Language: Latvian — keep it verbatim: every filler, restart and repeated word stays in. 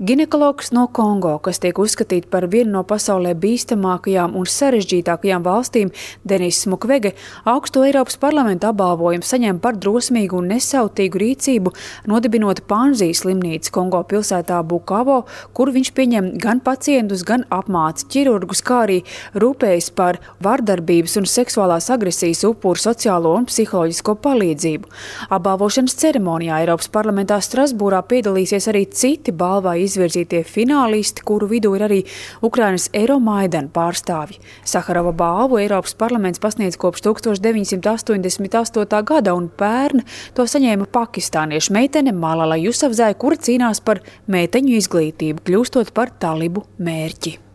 Ginekologs no Kongo, kas tiek uzskatīta par vienu no pasaulē bīstamākajām un sarežģītākajām valstīm, Denis Mukwege, augsto Eiropas parlamenta apbalvojumu saņem par drosmīgu un nesautīgu rīcību, nodibinot Panzijas slimnīcu Kongo pilsētā Bukavo, kur viņš pieņem gan pacientus, gan apmāca ķirurgus, kā arī rūpējas par vardarbības un seksuālās agresijas upuru sociālo un psiholoģisko palīdzību. Apbalvošanas ceremonijā Eiropas parlamentā Strasbūrā piedalīsies arī citi balvai izvirzītie finālisti, kuru vidū ir arī Ukrainas Eiromaidana pārstāvji. Saharova balvu Eiropas parlaments pasniedz kopš tūkstoš deviņsimt astoņdesmit astotā gada, un pērn to saņēma pakistāniešu meitene Malala Jusafzai, kura cīnās par meiteņu izglītību, kļūstot par talibu mērķi.